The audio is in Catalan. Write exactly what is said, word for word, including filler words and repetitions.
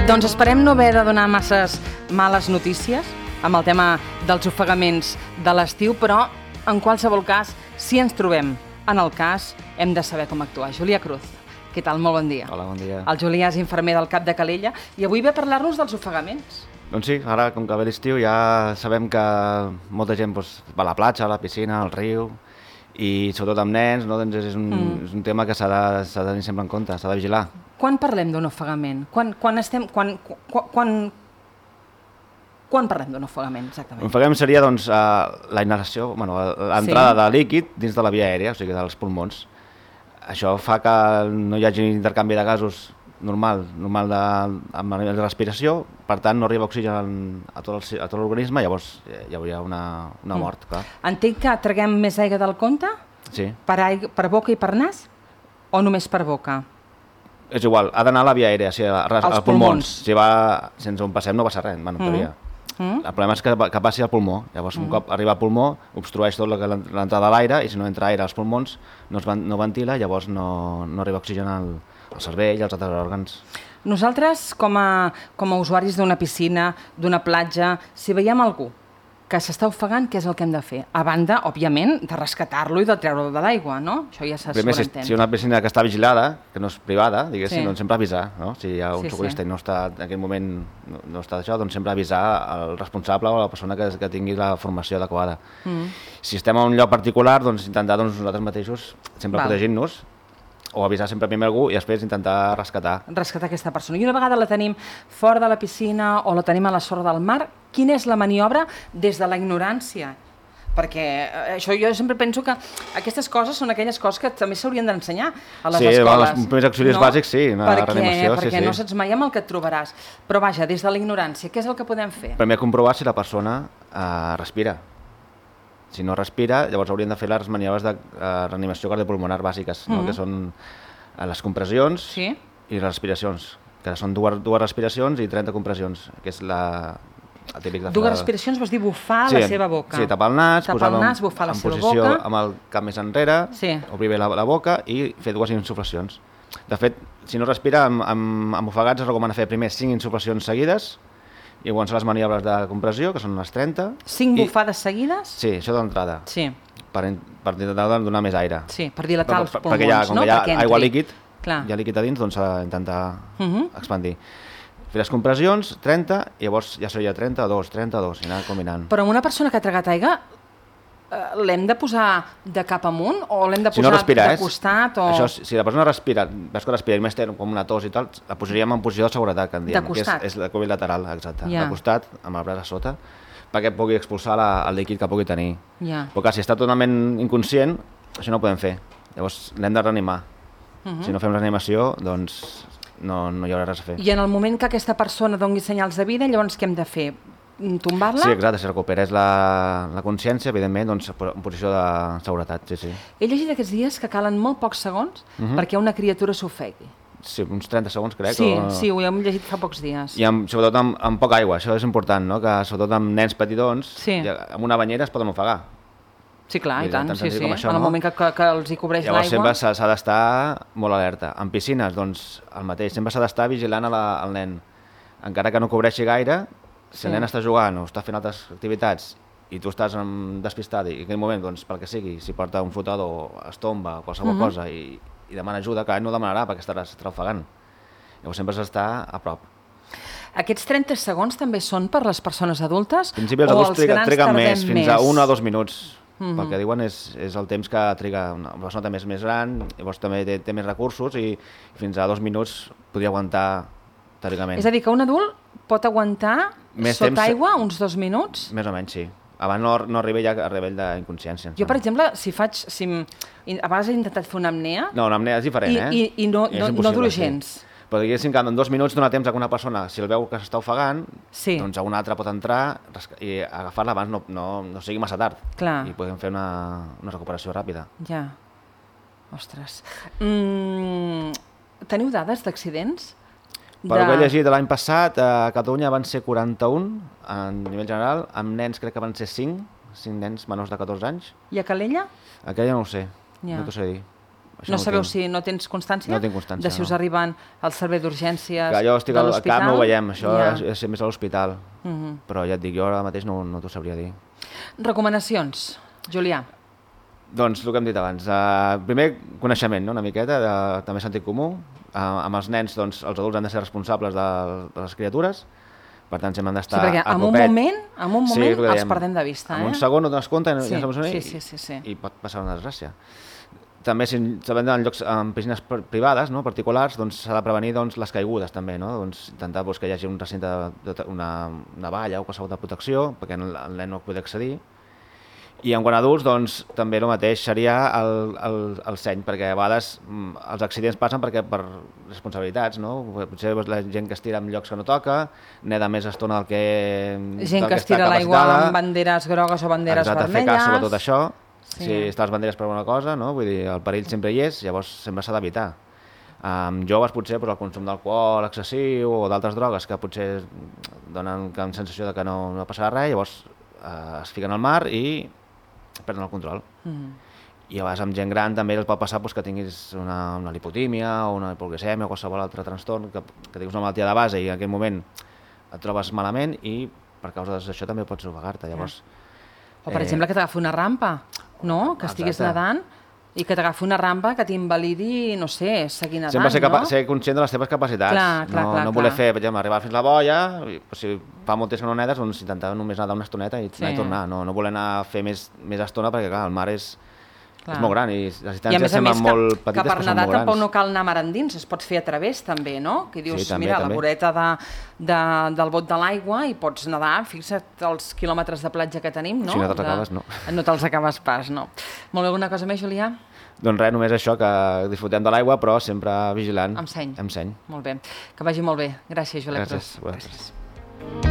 Doncs esperem no haver de donar masses males notícies amb el tema dels ofegaments de l'estiu, però en qualsevol cas, si ens trobem en el cas, hem de saber com actuar. Julià Cruz, què tal? Molt bon dia. Hola, bon dia. El Julià és infermer del Cap de Calella i avui ve a parlar-nos dels ofegaments. Doncs sí, ara com que ve l'estiu ja sabem que molta gent doncs, va a la platja, a la piscina, al riu, i sobretot amb nens, no? Doncs és, un, mm. és un tema que s'ha de, s'ha de tenir sempre en compte, s'ha de vigilar. Quan parlem d'un ofegament? Quan, quan estem... Quan, quan, quan, quan parlem d'un ofegament, exactament? Un ofegament seria doncs, uh, la inhalació, bueno, l'entrada sí. de líquid dins de la via aèria, o sigui, dels pulmons. Això fa que no hi hagi intercanvi de gasos normal, normal de, amb la respiració, per tant no arriba oxigen a tot, el, a tot l'organisme, llavors hi hauria una, una mort, clar. Entenc que traguem més aigua del compte? Sí. Per, aigua, per boca i per nas? O només per boca? És igual, ha d'anar a la via aèria, o sigui, als pulmons. pulmons. Si va sense un passem no passa res, bueno, mm. mm. El problema és que, que passi al pulmó. Llavors, mm. un cop arriba al pulmó, obstrueix tot l'entrada de l'aire i si no entra aire als pulmons no, es van, no ventila, llavors no, no arriba oxigen al, al cervell i als altres òrgans. Nosaltres, com a, com a usuaris d'una piscina, d'una platja, si veiem algú que s'està ofegant, què és el que hem de fer? A banda, òbviament, de rescatar-lo i de treure-lo de l'aigua, no? Això ja s'ha Primer, si, si una piscina que està vigilada, que no és privada, diguéssim, sí. doncs sempre avisar, no? Si hi ha un sí, socorrista sí. i no està, en aquell moment no, no està d'això, doncs sempre avisar el responsable o la persona que, que tingui la formació adequada. Mm. Si estem en un lloc particular, doncs intentar doncs, nosaltres mateixos, sempre protegint-nos, o avisar sempre primer algú i després intentar rescatar. Rescatar aquesta persona. I una vegada la tenim fora de la piscina o la tenim a la sorra del mar, quina és la maniobra des de la ignorància? Perquè això jo sempre penso que aquestes coses són aquelles coses que també s'haurien d'ensenyar a les sí, escoles. Sí, els primers auxilis no? bàsics, sí, una perquè, reanimació. Perquè sí, no sí. saps mai amb el que et trobaràs. Però vaja, des de la ignorància, què és el que podem fer? Primer comprovar si la persona eh, respira. Si no respira, llavors haurien de fer les maniobres de uh, reanimació cardiopulmonar bàsiques, no? mm -hmm. que són uh, les compressions sí. i les respiracions, que són dues, dues respiracions i trenta compressions, que és la, la típica... Dues respiracions vols dir bufar sí, la seva boca. Sí, tapar el nas, tapar posar el nas, bufar en, la en seva posició boca. amb el cap més enrere, sí. obrir bé la, la boca i fer dues insuflacions. De fet, si no respira, amb, amb, amb ofegats es recomana fer primer cinc insuflacions seguides, i llavors les maniobres de compressió, que són les trenta. Cinc i... bufades seguides? Sí, això d'entrada. Sí. Per, per intentar donar més aire. Sí, per dilatar els pulmons, perquè ja, com no? Que hi ha perquè aigua líquid, Clar. hi ha líquid a dins, doncs s'ha d'intentar uh -huh. expandir. Fer les compressions, trenta, i llavors ja seria trenta-dos, trenta-dos, i anar combinant. Però amb una persona que ha tragat aigua, l'hem de posar de cap amunt o l'hem de posar si no respira, de costat? O... Això, si la persona respira, veus que respira i més té com una tos i tal, la posaríem en posició de seguretat, que en diem, de costat? Que és, és la cúbit lateral, exacte. Ja. De costat, amb el braç a sota, perquè pugui expulsar la, el líquid que pugui tenir. Ja. Però clar, si està totalment inconscient, això no ho podem fer. Llavors l'hem de reanimar. Uh -huh. Si no fem reanimació, doncs no, no hi haurà res a fer. I en el moment que aquesta persona doni senyals de vida, llavors què hem de fer? Tombar-la? Sí, exacte, si recuperés la, la consciència, evidentment, doncs en posició de seguretat, sí, sí. He llegit aquests dies que calen molt pocs segons uh -huh. perquè una criatura s'ofegui. Sí, uns trenta segons, crec. Sí, o... sí, ho hem llegit fa pocs dies. I amb, sobretot amb, amb poca aigua, això és important, no? Que sobretot amb nens petitons, sí. amb una banyera es poden ofegar. Sí, clar, i, i tant, tant sí, sí. Això, en el no? moment que, que, que els hi cobreix l'aigua... Llavors sempre s'ha d'estar molt alerta. En piscines, doncs, el mateix, sempre s'ha d'estar vigilant a la, al nen. Encara que no cobreixi gaire, si sí. el nen està jugant o està fent altres activitats i tu estàs um, despistat i en aquell moment, doncs, pel que sigui, si porta un flotador, es tomba o qualsevol uh -huh. cosa i, i demana ajuda, que no demanarà perquè estaràs ofegant. Llavors sempre s'ha d'estar a prop. Aquests trenta segons també són per les persones adultes? En principi els adults triguen, triguen més, fins més? a un o dos minuts. Uh -huh. Pel que diuen és, és el temps que triga una persona també és més gran, llavors també té, té més recursos i fins a dos minuts podria aguantar teòricament. És a dir, que un adult pot aguantar més sota temps, aigua uns dos minuts? Més o menys, sí. Abans no, no arriba ja a nivell d'inconsciència. Jo, per exemple, si faig... Si a vegades he intentat fer una apnea... No, una apnea és diferent, i, eh? I, i no, no, no dura gens. Sí. Però diguéssim que en dos minuts dona temps a una persona, si el veu que s'està ofegant, sí. doncs a una altra pot entrar i agafar-la abans no, no, no sigui massa tard. Clar. I podem fer una, una recuperació ràpida. Ja. Ostres. Mm, teniu dades d'accidents? Per de... ho que he llegit l'any passat, a Catalunya van ser quaranta-un, a nivell general, amb nens crec que van ser cinc, cinc nens menors de catorze anys. I a Calella? A Calella no ho sé, ja. no t'ho sé dir. No sabeu si no tens constància? No tinc constància, de si us no. arriben al servei d'urgències jo estic de al l'hospital? cap, no ho veiem, això Ja. és, és més a l'hospital. Uh -huh. Però ja et dic, jo ara mateix no, no t'ho sabria dir. Recomanacions, Julià? Doncs el que hem dit abans. Uh, primer, coneixement, no? Una miqueta, de, també sentit comú. Uh, amb els nens, doncs, els adults han de ser responsables de, de les criatures. Per tant, sempre han d'estar sí, perquè a en un copet. moment, en un moment sí, els perdem de vista. En eh? un segon no t'has compte, sí, ja sabem sí, i, sí, sí, sí. i pot passar una desgràcia. També, si sabem en llocs en piscines privades, no, particulars, doncs s'ha de prevenir doncs, les caigudes també, no? Doncs, intentar doncs, que hi hagi un recinte, de, de, una, una valla o qualsevol de protecció, perquè el, el nen no pugui accedir. I en quant a adults, doncs, també el mateix seria el, el, el seny, perquè a vegades mm, els accidents passen perquè per responsabilitats, no? Potser doncs, la gent que es tira en llocs que no toca, neda més estona del que... Gent del que es tira a l'aigua amb banderes grogues o banderes Exacte, vermelles. fer cas sobretot això. Sí. Si està les banderes per alguna cosa, no? Vull dir, el perill sempre hi és, llavors sempre s'ha d'evitar. Amb joves potser doncs, el consum d'alcohol excessiu o d'altres drogues que potser donen una sensació de que no, no passarà res, llavors eh, es fiquen al mar i perden el control. Mm. I a vegades amb gent gran també el pot passar doncs, que tinguis una, una lipotímia o una hipoglicèmia o qualsevol altre trastorn, que, que tinguis una malaltia de base i en aquell moment et trobes malament i per causa d'això també pots ofegar-te. Llavors, o per eh... exemple que t'agafi una rampa, no? Que estiguis Exacte. nedant i que t'agafi una rampa que t'invalidi, no sé, seguir nedant, sempre ser, no? ser conscient de les teves capacitats. Clar, clar, no, clar, no voler clar. fer, per exemple, arribar fins a la boia, i, pues, si fa molt temps que no nedes, doncs intentar només nedar una estoneta i, Sí. i tornar. No, no voler anar a fer més, més estona perquè, clar, el mar és, Clar. és molt gran i les I a distàncies més a semblen més molt que, petites, que per però són nedar molt tampoc grans. no cal anar mar endins, es pot fer a través també, no? Que dius, Sí, també, mira, també. la voreta de, de, del bot de l'aigua i pots nedar, fixa't els quilòmetres de platja que tenim, no? Si no te'ls De- acabes, no. No te'ls acabes pas, no. Molt bé, alguna cosa més, Julià? Doncs res, només això, que disfrutem de l'aigua, però sempre vigilant. Amb seny. Amb seny. Molt bé. Que vagi molt bé. Gràcies, Julià Gràcies. Cruz. Gràcies.